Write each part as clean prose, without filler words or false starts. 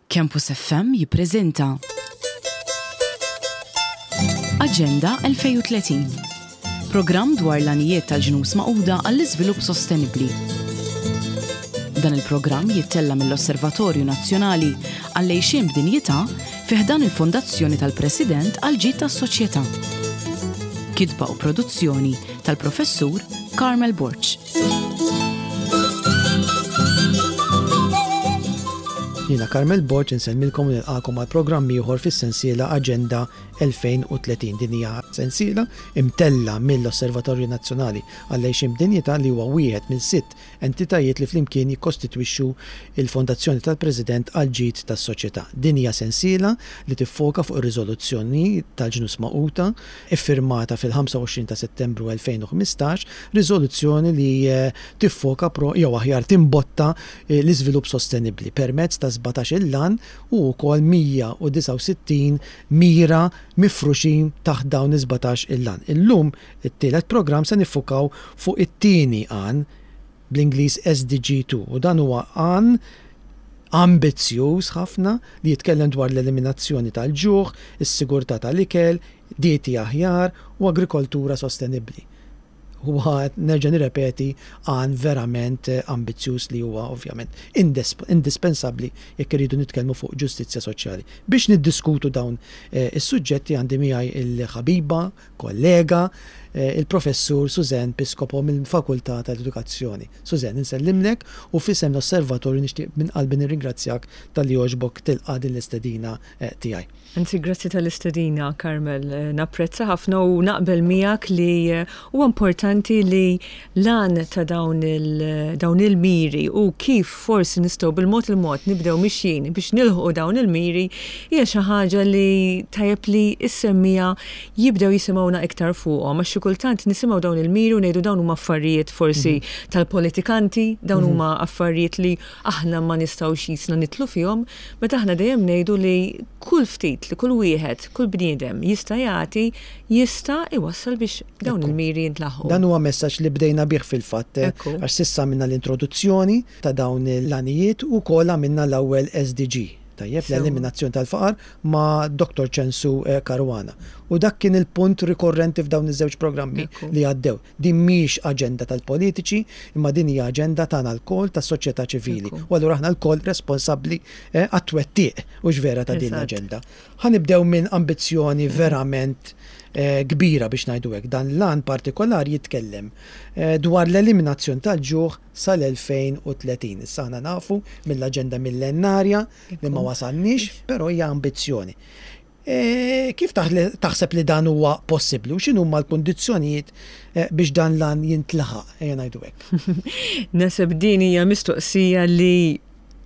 Campus FM jippreżenta Aġenda 2030. Programm dwar l-għanijiet tal-Ġnus Magħquda għall-Iżvilupp Sostenibbli. Dan il-programm jittella' mill-Osservatorju Nazzjonali għall-Għixien b'Dinjità fi ħdan il-Fondazzjoni tal-President għall-Ġid tas-Soċjetà. Kitba u produzzjoni tal-Professur Carmel Borg. Jiena Carmel Borg insellmilkom u nilqagħkom għal programm ieħor fis-sensiela Aġenda 2030. Din hija sensiela imtella' mill-Osservatorju Nazzjonali għall-Għixien b'Dinjità li huwa wieħed minn sitt entitajiet li flimkien jikkostitwixxu l-Fondazzjoni tal-President għall-Ġid tas-Soċjetà. Din hija sensiela li tiffoka fuq ir-riżoluzzjoni tal-Ġnus Magħquda iffirmata fil-25 ta' Settembru 2015, riżoluzzjoni li tiffoka pro, jew aħjar timbotta l-iżvilupp sostenibbli permezz ta' 17-il għan u wkoll 169 mira mifruxin taħt dawn is-17-il għan. Illum, it-tielet programm se niffukaw fuq it-tieni għan, bl-Ingliż SDG 2, u dan huwa għan ambizzjuż ħafna li jitkellem dwar l-eliminazzjoni tal-ġuħ, is-sigurtà tal-ikel, dieti aħjar u agrikoltura sostenibbli. Huwa, nerġa' nirrepeti, għan verament ambizzjuż li huwa ovvjament indispensabbli jekk irridu nitkellmu fuq ġustizzja soċjali. Biex niddiskutu dawn is-suġġetti għandi miegħi l-ħabiba, kollega, il-Professur Suzanne Piscopo mill-Fakultà tal-Edukazzjoni. Suzanne, insellimlek u f'isem l-Osservatorju nixtieq minn qalbi nirringrazzjak talli għoġbok tilqa' din l-istedina tiegħi. Anzi, grazzi tal-istedina, Carmel. Napprezza ħafna u naqbel miegħek li huwa importanti li l-għan ta' dawn dawn il-miri u kif forsi nistgħu bil-mod il-mod nibdew mixjin biex nilħqu dawn il-miri hija xi ħaġa li tajjeb li ssemmija jibdew jisimgħuna iktar fuqhom għax xi kultant nisimgħu dawn il-miri u ngħidu dawn huma affarijiet forsi tal-politikanti, dawn huma affarijiet li aħna ma nistgħux jisna nidħlu fihom, meta aħna dejjem ngħidu li kull ftit li kull wieħed, kull bniedem jista' jagħti jista' jwassal biex dawn il-miri jintlaħqu. Dan huwa messaġġ li bdejna bih fil-fatt għax s'issa għamilna l-introduzzjoni ta' dawn l-għanijiet u wkoll għamilna l-ewwel SDG, tajjeb, l-eliminazzjoni tal-faqar ma' Dottor Ċensu Caruana. U dak kien il-punt rikorrenti f'dawn iż-żewġ programmi li għaddew. Din mhix aġenda tal-politiċi, imma din hija aġenda tagħna lkoll, tas-soċjetà ċivili. U allura aħna lkoll responsabbli għat-twettiq, hux vera, ta' din l-aġenda. Ħa nibdew minn ambizzjoni verament kbira biex ngħidu hekk. Dan l-għan partikolari jitkellem dwar l-eliminazzjoni tal-ġuħ sal-2030. Issa aħna nafu mill-aġenda millennarja li ma wasalniex, però hija ambizzjoni. Kif taħseb li dan huwa possibbli u x'inhuma l-kundizzjonijiet biex dan l-għan jintlaħaq, ejja ngħidu hekk? Naħseb din hija mistoqsija li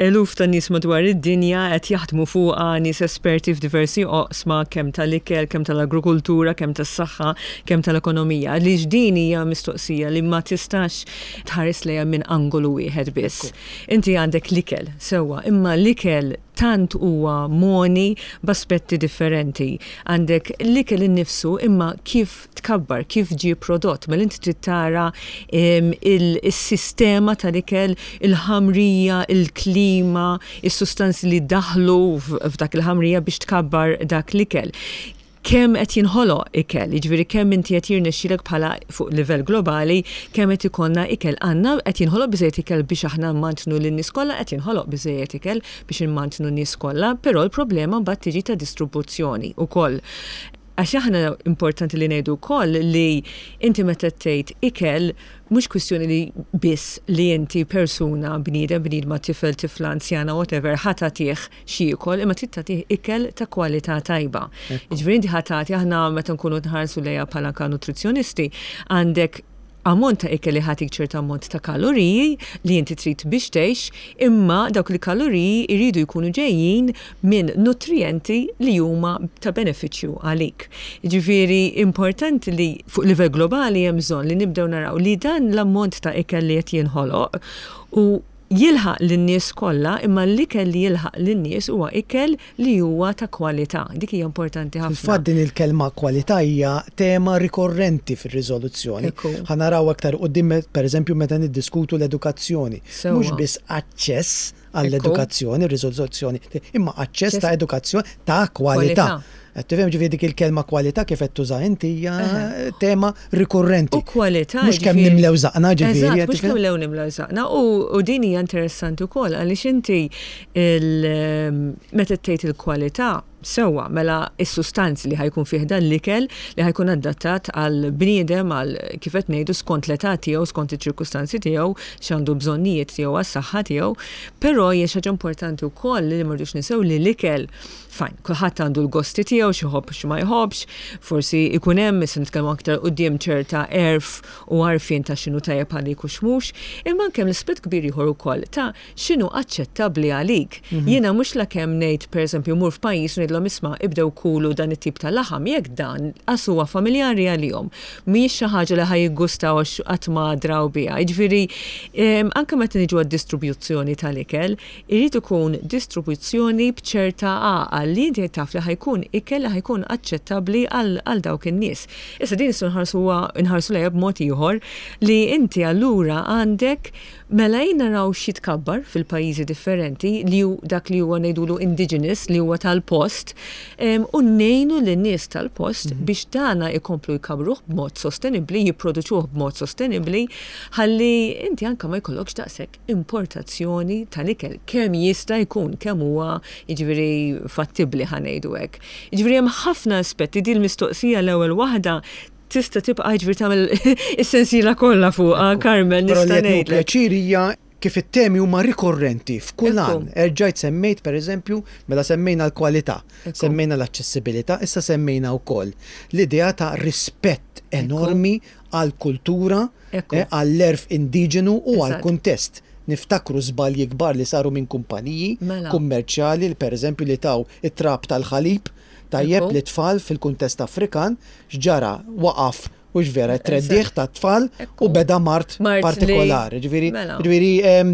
eluf ta' nies madwar id-dinja qed jaħdmu fuqha, nies esperti f'diversi oqsma kemm tal-ikel, kemm tal-agrikultura, kemm tas-saħħa, kemm tal-ekonomija. Għaliex din hija mistoqsija li ma tistax tħares lejha minn angolu wieħed biss. Inti għandek l-ikel, sewwa, imma l-ikel tant huwa mogħni b'aspetti differenti. Għandek l-ikel innifsu imma kif tkabbar, kif ġie prodott, mela inti trid tara il-sistema tal-ikel, il-ħamrija, il-klima, is-sustanzi li daħlu f'dak il-ħamrija biex tkabbar dak l-ikel. Kemm qed jinħoloq ikel, jiġifieri kemm inti qed jirnexxilek bħala fuq livell globali, kemm qed ikollna ikel. Għandna qed jinħoloq biżejjed ikel biex aħna mmantnu lin-nies kollha, qed jinħoloq biżejjed ikel biex immantnu n-nies kollha, però l-problema mbagħad tiġi ta' distribuzzjoni wkoll. Għax aħna importanti li ngħidu wkoll li inti meta tgħid ikel mhux kwistjoni li biss li inti persuna, bniedem, bniedma, tifel, tifla, anzjana, whatever, ħa tagħtih x'jiekol, imma trid tagħtih ikel ta' kwalità tajba. Jiġifieri inti ħa tagħti aħna meta nkunu nħarsu lejha bħala anke nutrizzjonisti, għandek ammont ta' ikel li ħatik ċertu ammont ta' kaloriji li inti trid biex tgħix, imma dawk il-kaloriji jridu jkunu ġejjin minn nutrijenti li huma ta' benefiċċju għalik. Jiġifieri importanti li fuq livell globali hemm bżonn li nibdew naraw li dan l-ammont ta' ikel li qed jinħoloq u. jilħaq lin-nies kollha, imma l-ikel li jilħaq lin-nies huwa ikel li huwa ta' kwalità. Dik hija importanti ħafna. Fil-fatt din il-kelma kwalità hija tema rikorrenti fir-riżoluzzjoni. Ħa naraw aktar quddiem pereżempju meta niddiskutu l-edukazzjoni. Mhux biss aċċess għall-edukazzjoni, ir-riżoluzzjoni, imma aċċess ta' edukazzjoni ta' kwalità. Qed tifhem ġifieri dik il-kelma kwalità kif qed tuża inti hija tema rikurrenti. U kwalità. Mhux kemm nimlew żaqna ġifieri. Eżatt, mhux kemm lew nimlew żaqna u din hija interessanti wkoll għaliex inti meta tgħid il-kwalità sewwa mela s-sustanzi li ħajkun fih dan l-ikel li ħajkun adattat għal bniedem għal kif qed ngħidu skont l-età tiegħu, skont iċ-ċirkustanzi tiegħu, x'għandu bżonnijiet tiegħu għas-saħħa tiegħu, però hija xi ħaġa importanti wkoll li ma rridux ninsew li l-ikel Fine, kulħadd għandu l-gosti tiegħu, x'iħobb x'ma jħobbx, forsi ikun hemm, issa nitkellmu aktar quddiem ċerta għerf u għarfien ta' x'inhu tajjeb għalik u x'mhux, imma anke hemm l-aspett kbir ieħor ukoll ta' x'inhu aċċettabbli għalik. Jiena mhux lakemm ngħid pereżempju mmur f'pajjiż u ngħidilhom isma' ibdew kulu dan it-tip ta' laħam jekk dan qas huwa familjari għalihom, mhijiex xi ħaġa li ħa jiggustaw għax qatt ma draw biha. Jiġifieri anke meta niġu għad-distribuzzjoni tal-ikel, Irid ikun distribuzzjoni b'ċerta għaqal li inti taf li ħa jkun ikel li ħa jkun aċċettabbli għal dawk in-nies. Issa din nistgħu nħarsuha nħarsu lejha b'mod ieħor li inti allura għandek mela ejja naraw x'jitkabbar fil-pajjiżi differenti li hu dak li huwa ngħidulu indigenous li huwa tal-post u ngħinu lin-nies tal-post biex dana jkomplu jkabbruh b'mod sostenibbli, jipproduċuh b'mod sostenibbli ħalli inti anke ma jkollokx daqshekk importazzjoni tal-ikel kemm jista' jkun, kemm huwa jiġifieri fattibbli ħa ngħidu hekk. Jiġifieri hemm ħafna aspetti din il-mistoqsija l-ewwel waħda tista' tibqa' jiġifieri tagħmel is-sensiela kollha fuqha Carmel nista' ngħidlek. Pjaċir hija kif it-temi huma rikorrenti f'kull għan. Erġajt semmejt pereżempju, mela semmejna l-kwalità, semmejna l-aċċessibilità, issa semmejna wkoll l-idea ta' rispett enormi għall-kultura, għall-għerf indiġenu u għall-kuntest. Niftakru żbalji kbar li saru minn kumpaniji kummerċjali li pereżempju li taw it-trab tal-ħalib tajjeb lit-tfal fil-kuntest Afrikan, x'ġara? Waqaf, hux vera, it-treddigħ tat-tfal u beda mard partikolari. Ġifieri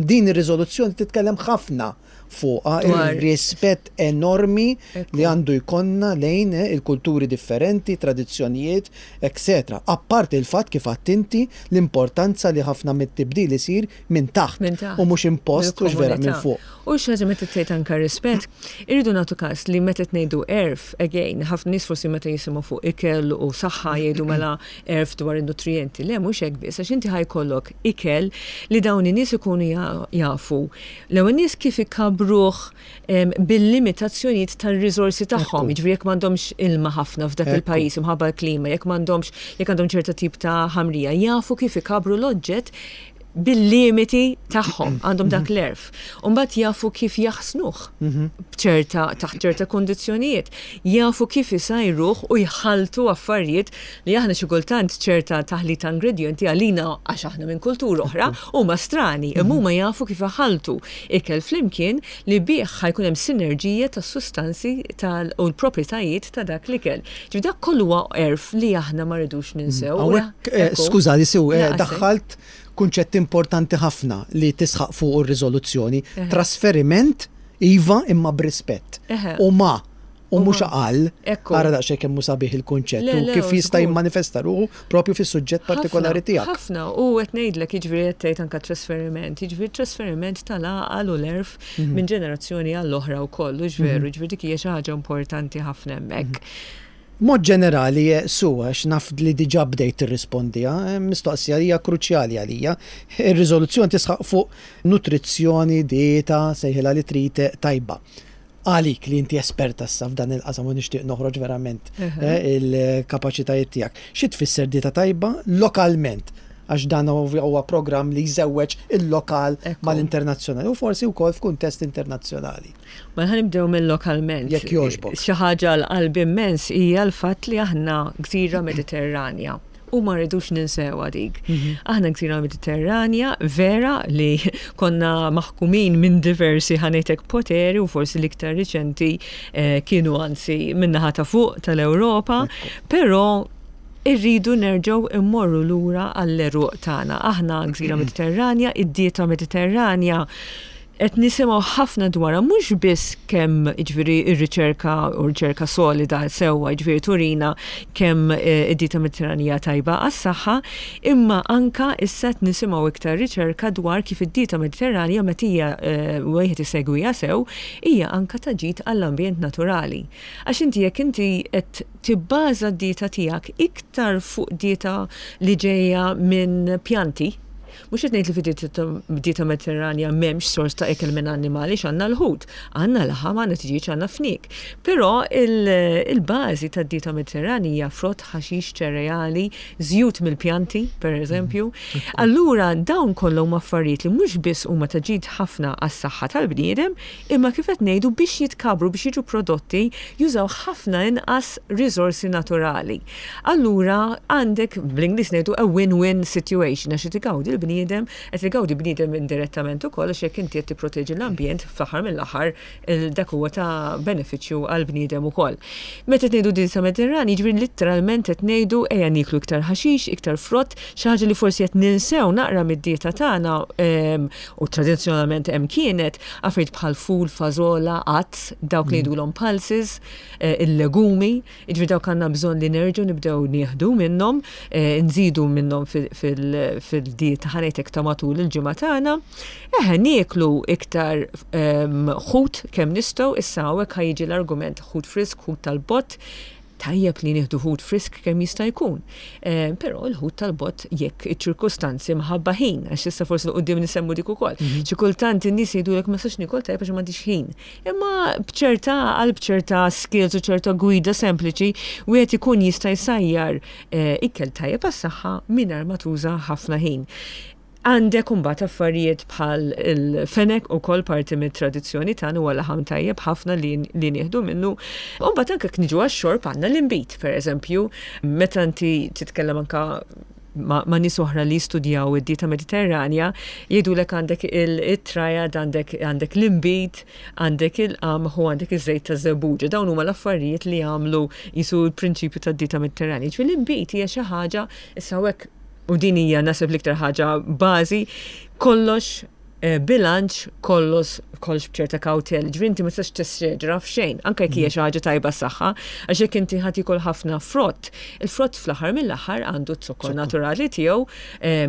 din ir-riżoluzzjoni titkellem ħafna fuqha ir-rispett enormi li għandu jkollna lejn il-kulturi differenti, tradizzjonijiet, etc. Apparti l-fatt kif għedt inti l-importanza li ħafna mit-tibdil isir minn taħt u mhux impost hux vera minn fuq. U xi ħaġa meta tgħid anke rispett, irridu nagħtu każ li meta qed ngħidu għerf, again, ħafna nies forsi meta jisimgħu fuq ikel u saħħa jgħidu mela għerf dwar in-nutrijenti. Le mhux hekk biss, għax inti ħa jkollok ikel li dawn in-nies ikunu jafu L-ewwel nies kif ikabbruh bil-limitazzjonijiet tar-riżorsi tagħhom, jiġifieri jekk m'għandhomx ilma ħafna f'dak il-pajjiż imħabba l-klima, jekk m'għandhomx jekk għandhom ċerta tip ta' ħamrija, jafu kif ikabbru l-oġġett bil-limiti tagħhom, għandhom dak l-għerf. U mbagħad jafu kif jaħsnuh b'ċerta taħt ċerta kundizzjonijiet, jafu kif isajruh u jħalltu affarijiet li aħna xi kultant ċerta taħlit ta' ingredjenti għalina għax aħna minn kultura oħra huma strani, imma huma jafu kif iħalltu ikel flimkien li bih ħa jkun hemm sinerġija tas-sustanzi tal u l-proprjetajiet ta' dak l-ikel. Ġifieri dak kollu huwa għerf li aħna ma rridux ninsew. Hawnhekk, skużani Sue, daħħalt kunċett importanti ħafna li tisħaq fuqu r-riżoluzzjoni, trasferiment iva imma b'rispett. U ma U mhux aqal, ara daqsxejn kemm hu sabiħ il-kunċett u kif jista' jimmanifesta ruħu propju fis-suġġett partikolari tiegħek. Ħafna, u qed ngħidlek jiġifieri qed tgħid anke trasferiment, jiġifieri trasferiment tal-għaqal u l-għerf minn ġenerazzjoni għall-oħra wkoll, hux veru, jiġifieri dik hija xi ħaġa importanti ħafna hemmhekk. B'mod ġenerali, Sue, għax naf li diġà bdejt tirrispondiha, mistoqsija li hija kruċjali għalija. Ir-riżoluzzjoni tisħaq fuq nutrizzjoni, dieta, sejħilha li trid, tajba. Għalik li inti esperta issa f'dan il-qasam u nixtieq noħroġ verament il-kapaċitajiet tiegħek. Xi tfisser dieta tajba lokalment? Għax dan huwa programm li jżewweġ il-lokal mal-internazzjonali u forsi wkoll f'kuntest internazzjonali. Mela ħa nibdew mill-lokalment. Jekk jogħġbok. Xi ħaġa għal qalbi immens hija l-fatt li aħna gżira Mediterranja. U ma rridux ninsewha dik. Aħna gżira Mediterranja vera li konna maħkumin minn diversi ħanejtek poteri u forsi l-iktar riċenti eh, kienu anzi min-naħa ta' fuq tal-Ewropa, però Irridu nerġgħu immorru lura għall-għeruq tagħna. Aħna gżira Mediterranja, id-dieta Mediterranja qed nisimgħu ħafna dwarha mhux biss kemm jiġifieri r-riċerka u riċerka solida sewwa jiġifieri turina kemm eh, id-dieta Mediterranija tajba għas-saħħa, imma anka issa qed nisimgħu iktar riċerka dwar kif id-dieta Mediterranja meta hija eh, wieħed isegwiha sew hija anka ta' ġid għall-ambjent naturali. Għax inti jekk inti qed tibbaża d-dieta tiegħek iktar fuq dieta li ġejja minn pjanti, mhux qed ngħid li fid-dieta Mediterranja m'hemmx sors ta' ikel minn annimali x'għandna l-ħut, għandna laħam, għandna tiġieġ, għandna fniek. Però il-bażi tad-dieta Mediterranja hija frott, ħaxix, ċereali, żjut mill-pjanti, per eżempju. Allura dawn kollha huma affarijiet li mhux biss huma ta' ġid ħafna għas-saħħa tal-bniedem, Imma kif qed ngħidu biex jitkabbru, biex jiġu prodotti, jużaw ħafna inqas riżorsi naturali. Allura għandek bl-Ingliż ngħidu a win-win situation għax qed igawdi l-bniedem, qed igawdi bniedem indirettament ukoll għax jekk inti qed tipproteġi l-ambjent fl-aħħar mill-aħħar dak huwa ta' benefiċċju għall-bniedem ukoll. Meta qed ngħidu dieta Mediterranja, jiġifieri litteralment qed ngħidu ejja nieklu iktar ħaxix, iktar frott, xi ħaġa li forsi qed ninsew naqra mid-dieta tagħna u tradizzjonalment hemm kienet, affarijiet bħal ful, fażola, għads, dawk li jgħidulhom pulses, eh, il-legumi, jiġifieri dawk għandna bżonn li nerġgħu nibdew nieħdu minnhom, eh, nżidu minnhom fil-dieta ħanejtek ta' matul il-ġimgħa tagħna. Eħe nieklu iktar ehm, ħut kemm nistgħu, issa hawnhekk ħa jiġi l-argument ħut frisk, ħut tal-bott, tajjeb li nieħdu ħut frisk kemm jista' jkun. Eh, però l-ħut tal-bott jekk iċ-ċirkustanzi mħabba ħin, għax issa forsi l-qudiem nisemmu dik ukoll. Mhm. Xi kultant in-nies jgħidulek ma sax nikol tajjeb għax m'għandix ħin. Imma b'ċerta għal b'ċerta skills u ċerta gwida sempliċi wieħed ikun jista' jsajjar eh, ikel tajjeb għas-saħħa mingħajr ma tuża ħafna ħin. Għandek imbagħad affarijiet bħal il-fenek ukoll parti mit-tradizzjoni tagħna huwa laħam tajjeb ħafna li, li nieħdu minnu. U mbagħad anke niġu għax-xorb għandna l-inbid, pereżempju, meta inti titkellem anka ma, ma nies oħra li jistudjaw id-dieta Mediterranja, jgħidulek għandek il-triad, għandek, għandek l-inbid, għandek il-qamħ u għandek iż-żejt ta' żebbuġa. Dawn huma l-affarijiet li jagħmlu jisu l-prinċipju tad-dieta Mediterranja. Ġifieri l-inbid hija xi ħaġa issa hekk u din hija naħseb l-iktar ħaġa bażi, kollox eh, bilanċ, kollox kollox b'ċerta kawtel, ġifieri inti ma tistax tesseġra f'xejn, anke jekk hija xi ħaġa tajba s-saħħa, għax jekk inti ħadd jiekol ħafna frott, il-frott fl-aħħar mill-aħħar għandu z-zokkor naturali tiegħu,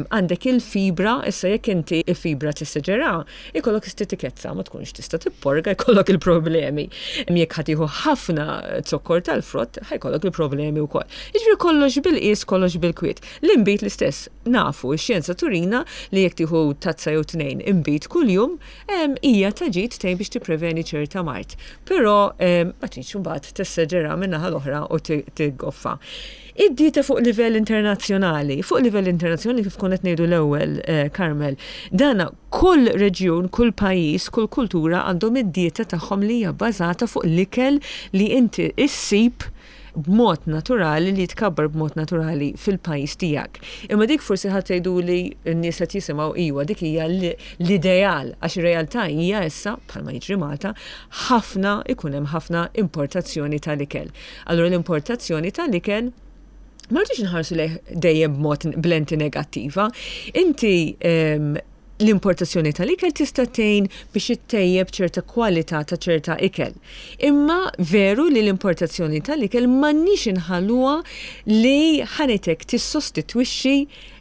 għandek il-fibra, issa jekk inti il-fibra tesseġera, ikollok istitikezza, ma tkunx tista' tipporga, jkollok il-problemi. Jekk ħa tieħu ħafna zokkor tal-frott, ħa jkollok il-problemi wkoll. Jiġifieri kollox bil-qies, kollox bil-kwiet. L-inbid l-istess, nafu, ix-xjenza turina li jekk tieħu tazza jew tnejn inbid kuljum, hija ta' ġid tgħin biex tippreveni ċerta mard. Però ma tridx imbagħad tesseġera min-naħa l-oħra u tiggoffa. Id-dieta fuq livell internazzjonali, fuq livell internazzjonali kif konna qed ngħidu l-ewwel, eh, Carmel, dana kull reġjun, kull pajjiż, kull kultura għandhom id-dieta tagħhom li hija bbażata fuq l-ikel li inti issib b'mod naturali li jitkabbar b'mod naturali fil-pajjiż tiegħek. Imma dik forsi ħadd tgħiduli n-nies qed jisimgħu iwa dik hija l-ideal għax ir-realtà hija issa bħalma jiġri Malta ħafna ikun hemm ħafna importazzjoni tal-ikel. Allura l-importazzjoni tal-ikel ma rridux nħarsu lejh dejjem b'mod b'lenti negattiva. Inti ehm, l-importazzjoni tal-ikel tista' tgħin biex ittejjeb ċerta kwalità ta' ċerta ikel. Imma veru li l-importazzjoni tal-ikel m'għandniex inħalluha li ħanetek tissostitwixxi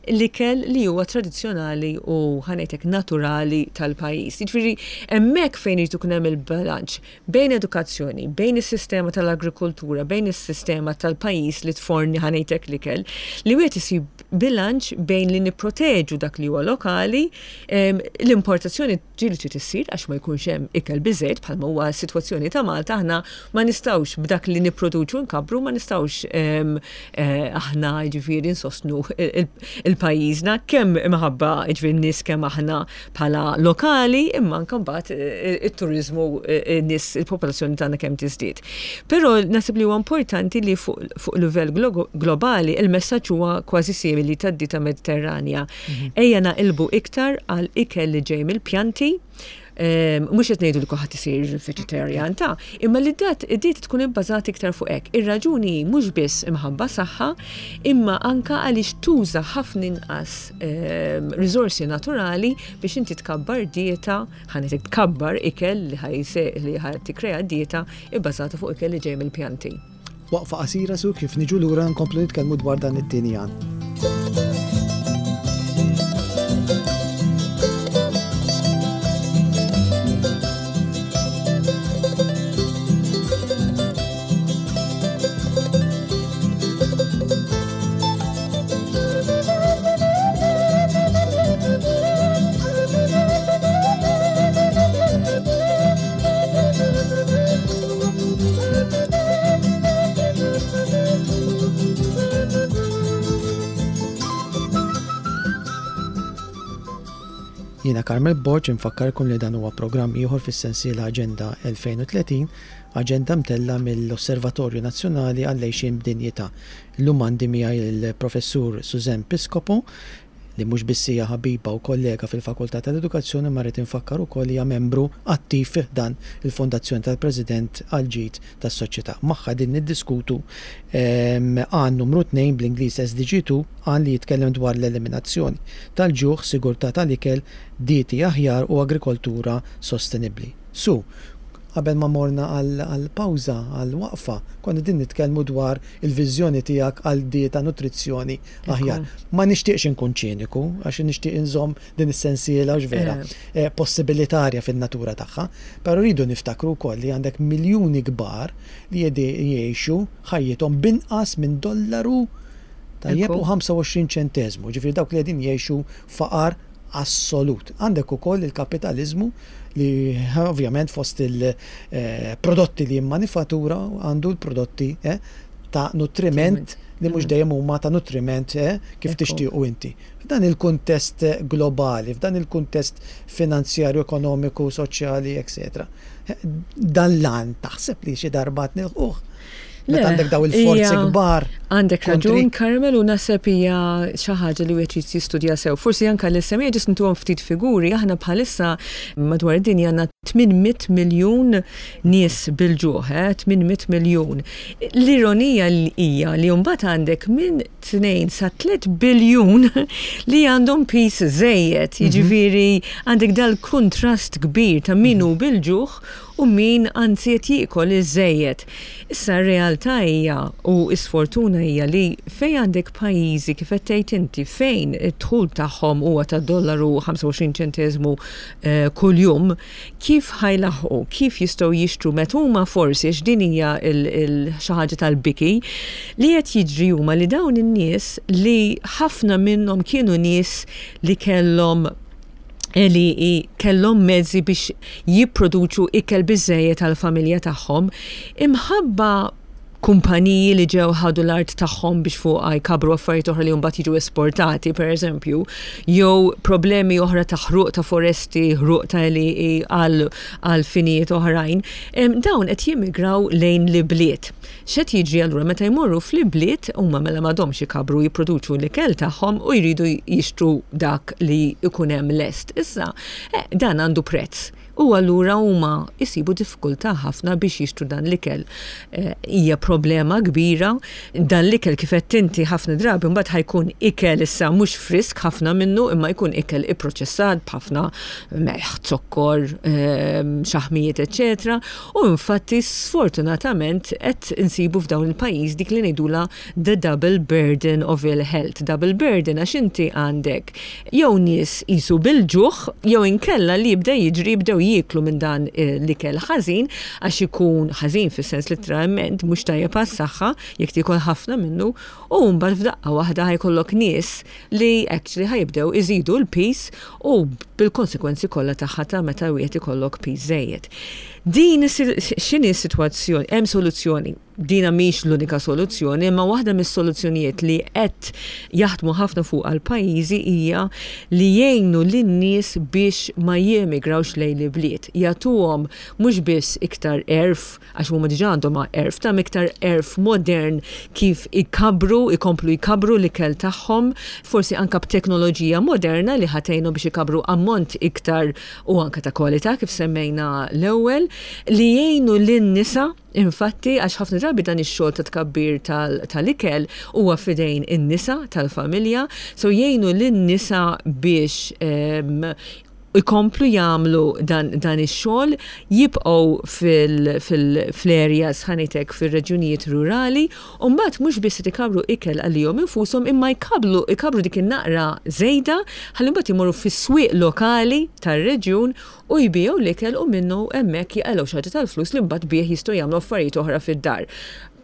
l-ikel li huwa tradizzjonali u ħanetek naturali tal-pajjiż. Jiġifieri hemmhekk fejn irid ikun hemm il-bilanċ bejn edukazzjoni, bejn is-sistema tal-agrikoltura, bejn is-sistema tal-pajjiż li tforni ħanejtek l-ikel, li wieħed isib bilanċ bejn li nipproteġu dak li huwa lokali, l-importazzjoni ġieli trid issir għax ma jkunx hemm ikel biżejjed bħalma huwa s-sitwazzjoni ta' Malta aħna ma nistgħux b'dak li nipproduċu nkabbru ma nistgħux eh, aħna jiġifieri nsostnu il-pajjiżna kemm imħabba jiġifieri n-nies kemm aħna bħala lokali imma anke mbagħad eh, it-turiżmu eh, n-nies il-popolazzjoni tagħna kemm tiżdied. Però naħseb li huwa importanti li fuq livell globali il-messaġġ huwa kważi simili tad-dieta Mediterranja. Mhm. Ejja naqilbu iktar għal ikel li ġej mill-pjanti. Mhux qed ngħidu li kulħadd isir vegetarian ta' imma li dat id-dieta tkun ibbażata iktar fuq hekk. Ir-raġuni hi mhux biss imħabba saħħa, imma anka għaliex tuża ħafna inqas riżorsi naturali biex inti tkabbar dieta, ħa ngħidlek tkabbar ikel li ħa tikkrea dieta ibbażata fuq ikel li ġej mill-pjanti. Waqfa qasira su kif niġu lura nkomplu nitkellmu dwar dan it-tieni għan. Jiena Carmel Borg infakkarkom li dan huwa programm ieħor fis-sensiela Aġenda 2030, aġenda mtella' mill-Osservatorju Nazzjonali għall-Għixien b'Dinjità. Illum għandi miegħi l-Professur Suzanne Piscopo, li mhux biss hija ħabiba u kollega fil-Fakultà tal-Edukazzjoni imma rrid infakkar ukoll li hija membru attiv fi ħdan il-Fondazzjoni tal-President għall-Ġid tas-Soċjetà. Magħha qegħdin niddiskutu għan numru tnejn, bl-Ingliż SDG 2, għan li jitkellem dwar l-eliminazzjoni tal-ġuħ, sigurtà tal-ikel, dieti aħjar u agrikoltura sostenibbli. Sue, qabel ma morna għall-pawża, għall-waqfa, konna qegħdin nitkellmu dwar il-viżjoni tiegħek għal dieta, nutrizzjoni aħjar. Ma nixtieqx inkun ċiniku, għax nixtieq inżomm din is-sensiela għax vera eh. possibilitarja fin-natura tagħha, però rridu niftakru wkoll li għandek miljuni kbar li jgħixu ħajjithom binqas minn dollaru tajjeb u 25 ċenteżmu, ġifieri dawk li qegħdin jgħixu faqar assolut. Għandek ukoll il-kapitaliżmu li ovvjament fost il-prodotti li jimmanifattura għandu l-prodotti eh, ta' nutriment li mhux dejjem huma ta' nutriment eh, kif tixtiequ inti. F'dan il-kuntest globali, f'dan il-kuntest finanzjarju, ekonomiku, soċjali, etc. Dan l-għan taħseb li xi darba nilħuh? Meta għandek daw il-forzi kbar. Għandek raġun, Carmel, u naħseb hija xi ħaġa li wieħed trid jistudja sew. Forsi anke l-SME ġist ntuhom ftit figuri, aħna bħalissa madwar id-dinja għandna 800 miljun nies bil-ġuħ, eh, 800 miljun. L-ironija hija li mbagħad għandek minn 2 sa 3 biljun li għandhom piż żejjed, mhm. jiġifieri għandek dal-kuntrast kbir ta' min hu mhm. bil-ġuħ u min anzi qed jiekol iż-żejjed. Issa r-realtà hija u s-sfortuna hija li fejn għandek pajjiżi kif qed tgħid inti fejn id-dħul tagħhom huwa ta' dollaru 25 ċenteżmu eh, kuljum, Kif ħa jlaħħqu, kif jistgħu jixtru meta huma forsi, għax din hija xi ħaġa tal-biki, li qed jiġri huma li dawn in-nies li ħafna minnhom kienu nies li kellhom li kellhom mezzi biex jipproduċu ikel biżżejjed għall-familja tagħhom, imħabba kumpaniji li ġew ħadu l-art tagħhom biex fuqha jkabbru affarijiet oħra li mbagħad jiġu esportati, pereżempju, jew problemi oħra ta' ħruq ta' foresti, ħruq ta' għelieqi għal finijiet oħrajn, dawn qed jimmigraw lejn l-ibliet. X'qed jiġri allura meta jmorru fl-ibliet huma mela m'għadhomx ikabbru jipproduċu l-ikel tagħhom u jridu jixtru dak li jkun hemm lest. Issa, eh, dan għandu prezz. U allura huma jsibu diffikultà ħafna biex jixtru dan l-ikel. Hija problema kbira. Dan l-ikel kif għedt inti ħafna drabi mbagħad ħa jkun ikel issa mhux frisk ħafna minnu imma jkun ikel ipproċessat b'ħafna melħ, zokkor, xaħmijiet eċċetera. U infatti sfortunatament qed insibu f'dawn il-pajjiż dik li ngħidulha the double burden of ill health. Double burden għax inti għandek jew nies qisu bil-ġuħ jew inkella li jibda jiġri jibdew jieklu minn dan l-ikel ħażin għax ikun ħażin fis-sens litteralment mhux tajjeb għas-saħħa jekk tiekol ħafna minnu u mbagħad f'daqqa waħda ħa jkollok nies li actually ħa jibdew iżidu l-piż u bil-konsekwenzi kollha tagħha ta' meta wieħed ikollok piż żejjed. Din x'inhi s-sitwazzjoni? Hemm soluzzjoni. Dina mhix l-unika soluzzjoni, imma waħda mis-soluzzjonijiet li qed jaħdmu ħafna fuqha l-pajjiżi hija li jgħinu lin-nies biex ma jemigrawx lejn l-ibliet. fl-ibliet, jagħtuhom mhux biss iktar għerf, għax huma diġà għandhom għerf, ta' iktar għerf modern kif ikabbru, ikomplu jkabbru l-ikel tagħhom, forsi anke b'teknoloġija moderna li ħa tgħinhom biex ikabbru ammont iktar u anke ta' kwalità kif semmejna l-ewwel, li jgħinu lin-nisa infatti għax ħafna drabi dan ix-xogħol ta' tkabbir tal-ikel huwa f'idejn in-nisa tal-familja, so jgħinu lin-nisa biex ikomplu jagħmlu dan, dan ix-xogħol, jibqgħu fil-areas ħa ngħid hekk fir-reġjunijiet rurali, u mbagħad mhux biss qed ikabbru ikel għalihom infushom imma jkabblu ikabbru dik in-naqra żejda ħalli mbagħad imorru fis-swieq lokali tar-reġjun u jbigħu l-ikel u minnu hemmhekk jaqilgħu xi ħaġa tal-flus li mbagħad bih jistgħu jagħmlu affarijiet oħra fid-dar.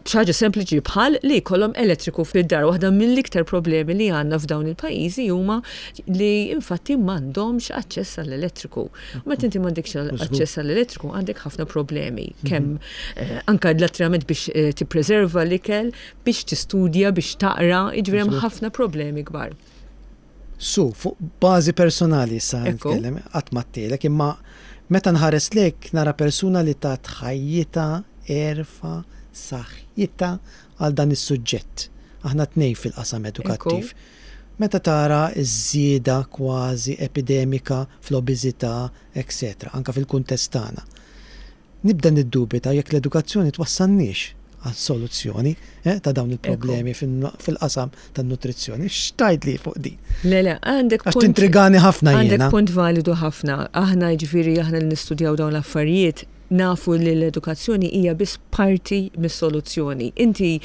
Xi ħaġa sempliċi bħal li jkollhom elettriku fid-dar. Waħda mill-iktar problemi li għandna f'dawn il-pajjiżi huma li infatti m'għandhomx aċċess għall-elettriku. Meta inti m'għandekx aċċess għall-elettriku għandek ħafna problemi. Mhm. Kemm eh, anka l-attrament biex eh, tippreserva l-ikel, biex tistudja, biex taqra, jiġifieri hemm ħafna problemi kbar. Su, fuq bażi personali issa nitkellem, qatt ma għedtilek, imma meta nħares lejk nara persuna li tat ħajjitha, għerfha, saħħitha għal dan is-suġġett. Aħna tnejn fil-qasam edukattiv. Meta tara ż-żieda kważi epidemika fl-obeżità, etc., anke fil-kuntest tagħna. Nibda niddubita jekk l-edukazzjoni twassalniex għal soluzzjoni ta' dawn il-problemi fil-qasam tan-nutrizzjoni. X'tgħidli fuq din? Le, le, għandek Għax tintrigani ħafna jiena. Għandek punt validu ħafna. Aħna jiġifieri aħna li nistudjaw dawn l-affarijiet nafu li l-edukazzjoni hija biss parti mis-soluzzjoni. Inti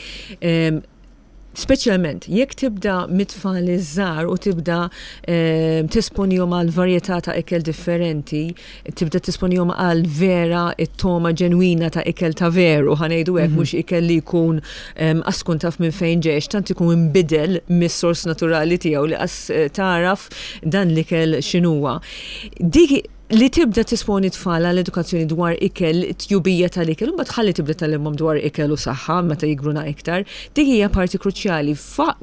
Speċjalment jekk tibda mit-tfal iż-żgħar u tibda ehm, tesponihom għal varjetà ta' ikel differenti, tibda tesponihom għal vera it-toma ġenwina ta' ikel ta' veru, ħanejdu hekk mhm. mhux ikel li jkun ehm, qas tkun taf minn fejn ġejx, tant ikun inbidel mis-sors naturali tiegħu li qas eh, taraf dan l-ikel x'inhuwa. Dik li tibda tisponi tfal għal edukazzjoni dwar ikel, tjubija tal-ikel, u mbagħad ħalli tibda tgħallimhom dwar ikel u saħħa meta jikbruna iktar, dik hija parti kruċjali.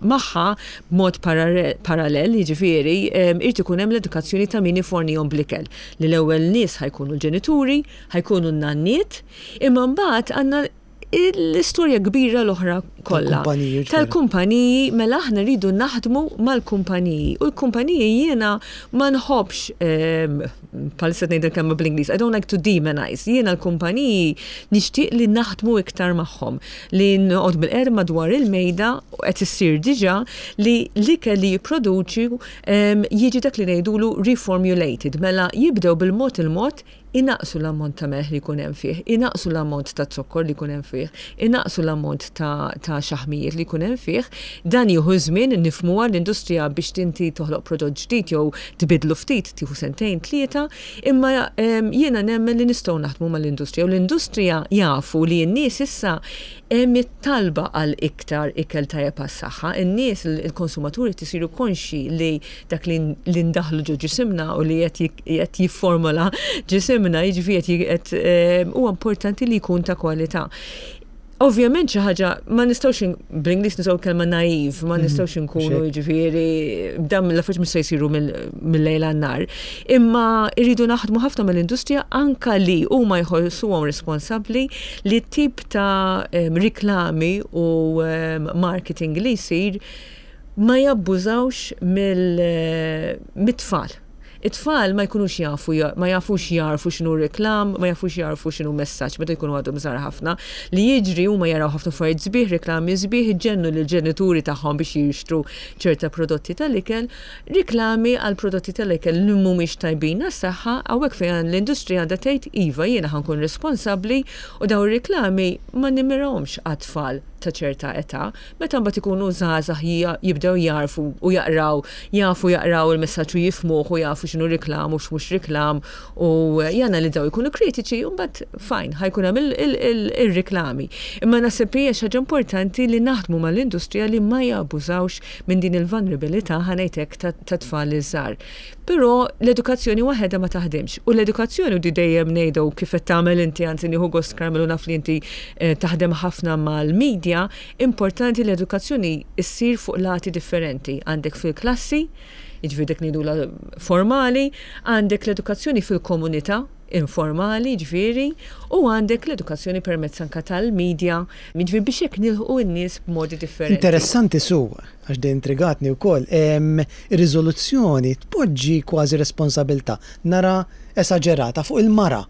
Magħha b'mod parallel, jiġifieri, irid ikun hemm l-edukazzjoni ta' min ifornihom bl-ikel. Li l-ewwel nies ħa jkunu l-ġenituri, ħa jkunu n-nanniet, imma mbagħad għandna l-istorja kbira l-oħra kollha. Tal-kumpaniji, mela aħna rridu naħdmu mal-kumpaniji. U l-kumpaniji jiena ma nħobbx, ehm, bħalissa ngħid il-kelma bl-Ingliż, I don't like to demonize. Jiena l-kumpaniji nixtieq li naħdmu iktar magħhom, li noqgħod bil-qerb madwar il-mejda u qed issir diġà li l-ikel li jipproduċi ehm, jiġi dak li ngħidulu reformulated, mela jibdew bil-mod il-mod inaqqsu l-ammont ta' melħ li jkun hemm fih, inaqqsu l-ammont ta' zokkor li jkun hemm fih, inaqqsu l-ammont ta' ta' xaħmijiet li jkun hemm fih. Dan jieħu ż-żmien, nifhmuha l-industrija biex inti toħloq prodott ġdid jew tbiddlu ftit tieħu sentejn, tlieta, imma jiena nemmen li nistgħu naħdmu mal-industrija u l-industrija jafu li n-nies issa Hemm it-talba għal iktar ikel tajjeb għas-saħħa. In-nies, il-konsumaturi qed isiru konxji li dak li ndaħħlu ġo ġisimna u li qed jifformola ġisimna, jiġifieri qed huwa importanti li jkun ta' kwalità. Ovvjament xi ħaġa ma nistgħux bl-Ingliż nużaw kelma naive, ma nistgħux inkunu jiġifieri dan l-affarijiet mhux se jsiru mill-lejl għan-nhar. Imma rridu naħdmu ħafna mal-industrija anke li huma jħossuhom responsabbli li t-tip ta' riklami u marketing li jsir ma jabbużawx mit-tfal. It-tfal ma jkunux jafu, ma jafux jagħrfu x'inhu reklam, ma jafux jagħrfu x'inhu messaġġ meta jkunu għadhom żgħar ħafna. Li jiġri huma jaraw ħafna affarijiet sbieħ, reklami sbieħ, iġennu lill-ġenituri tagħhom biex jixtru ċerta prodotti tal-ikel Riklami għal prodotti tal-ikel li mhumiex tajbin għas-saħħa, hawnhekk fejn l-industrija għandha tgħid iva jiena ħa nkun responsabbli u dawn ir-riklami ma nimmirahomx għat-tfal ta' ċerta età. Meta mbagħad ikunu żgħażagħ jibdew jagħrfu u jaqraw, jafu jaqraw il-messaġġ u jifhmuh u jafu x'inhu riklam u x'mhux riklam u janalizzaw jkunu kritiċi u mbagħad fine ħa jkun hemm ir-riklami. Imma naħseb hija xi ħaġa importanti li naħdmu mal-industrija li ma jabbużawx minn din il-vulnerabilità, ħa ngħid hekk, ta' tfal iż-żgħar. Però l-edukazzjoni waħedha ma taħdimx. U l-edukazzjoni, u di dejjem ngħidha u kif qed tagħmel inti, anzi nieħu gost Carmel u naf li inti eh, taħdem ħafna mal-media, importanti l-edukazzjoni ssir fuq lati differenti. Għandek fil-klassi, jiġifieri dik ngħidulha formali, għandek l-edukazzjoni fil-komunità, informali ġifieri u għandek l-edukazzjoni permezz anka tal-media, jiġifieri biex hekk nilħqu n-nies b'modi differenti. Interessanti Su, għax din intrigatni wkoll, ir-riżoluzzjoni tpoġġi kważi responsabilità, nara esaġerata fuq il-mara.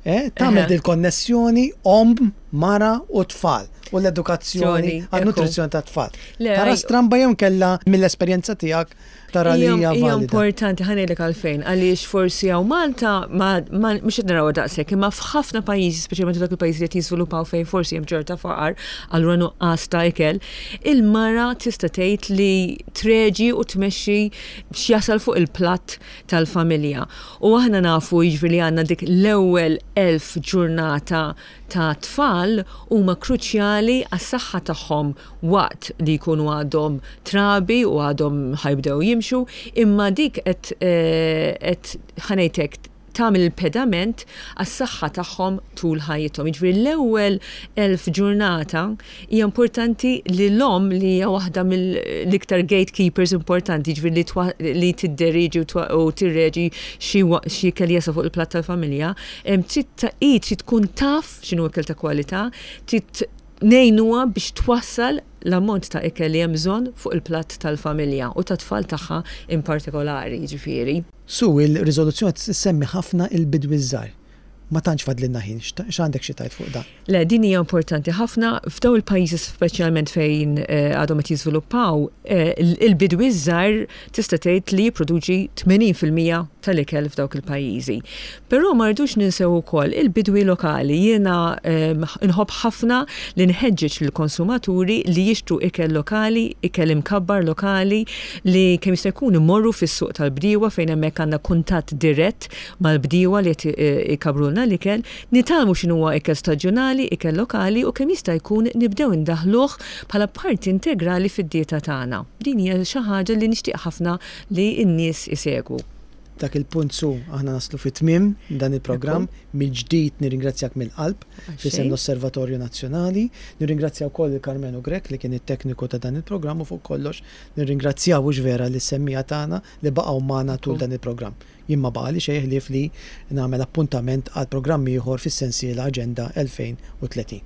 Eh, tagħmel dil-konnessjoni omm, mara u tfal u l-edukazzjoni għan-nutrizzjoni tat-tfal. Tara stramba jew kella mill-esperjenza tiegħek tara li hija valida. Importanti ħa ngħidlek għalfejn, għaliex forsi hawn Malta ma mhux qed narawha daqshekk, imma f'ħafna pajjiżi, speċjalment dawk il-pajjiżi li qed jiżviluppaw fejn forsi hemm ċerta faqar, allura nuqqas ta' ikel, il-mara tista' tgħid li treġi u tmexxi x'jasal fuq il-platt tal-familja. U aħna nafu jiġifieri li għandna dik l-ewwel 1000 ġurnata ta' tfal huma kruċjali għas-saħħa tagħhom waqt li jkunu għadhom trabi u għadhom ħa jibdew jimxu, imma dik qed qed ħa ngħid hekk tagħmel il-pedament għas-saħħa tagħhom tul ħajjithom. Jiġifieri l-ewwel 1000 ġurnata hija importanti li l-omm li hija waħda mill-iktar gatekeepers importanti, jiġifieri li li tidderiġi u tirreġi xi xi ikel jasal fuq il-platt tal-familja, trid hi trid tkun taf x'inhu ikel ta' kwalità, trid ngħinuha biex twassal l-ammont ta' ikel li hemm bżonn fuq il-platt tal-familja u tat-tfal tagħha in partikolari, jiġifieri. Su, il-riżoluzzjoni ssemmi ħafna il-bidwi ż-żgħir. Ma tantx fadlilna ħin, x'għandek xi tgħid fuq dan? Le, din hija importanti ħafna. F'dawn il-pajjiżi speċjalment fejn għadhom qed jiżviluppaw, il-bidwi ż-żgħir tista' tgħid li jipproduċi 80% tal-ikel f'dawk il-pajjiżi. Però ma rridux ninsew ukoll il-bidwi lokali. Jiena nħobb ħafna li nħeġġeġ lill-konsumaturi li jixtru ikel lokali, ikel imkabbar lokali, li kemm jista' jkun imorru fis-suq tal-bdiewa fejn hemmhekk għandna kuntatt dirett mal-bdiewa li qed ikabbrulna l-ikel, nitgħallmu x'inhuwa ikel staġjonali, ikel lokali u kemm jista' jkun nibdew indaħħluh bħala parti integrali fid-dieta tagħna. Din hija xi ħaġa li nixtieq ħafna li n-nies isegwu. Dak il-punt Su, aħna naslu fi tmiem dan il-programm. Mill-ġdid nirringrazzjak mill-qalb f'isem l-Osservatorju Nazzjonali. Nirringrazzja wkoll lil Karmenu Grech li kien it-tekniku ta' dan il-programm u fuq kollox nirringrazzjaw hux vera lis-semmiegħa tagħna li baqgħu magħna tul dan il-programm. Jien ma baqagħli xejn ħlief li nagħmel appuntament għal programm ieħor fis-sensiela Aġenda 2030.